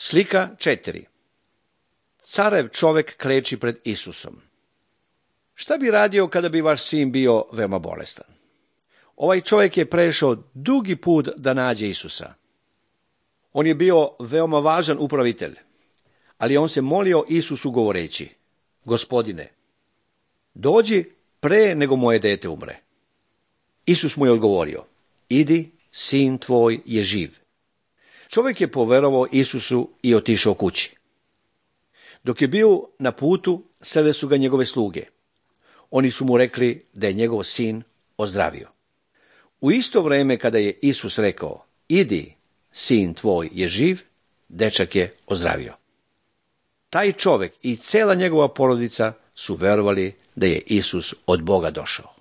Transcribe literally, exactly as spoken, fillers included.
Slika četiri. Carev čovek kleči pred Isusom. Šta bi radio kada bi vaš sin bio veoma bolestan? Ovaj čovjek je prešao dugi put da nađe Isusa. On je bio veoma važan upravitelj, ali on se molio Isusu govoreći: Gospodine, dođi pre nego moje dete umre. Isus mu je odgovorio: Idi, sin tvoj je živ. Čovjek je poverovao Isusu i otišao kući. Dok je bio na putu, srele su ga njegove sluge. Oni su mu rekli da je njegov sin ozdravio. U isto vrijeme kada je Isus rekao: Idi, sin tvoj je živ, dečak je ozdravio. Taj čovjek i cela njegova porodica su verovali da je Isus od Boga došao.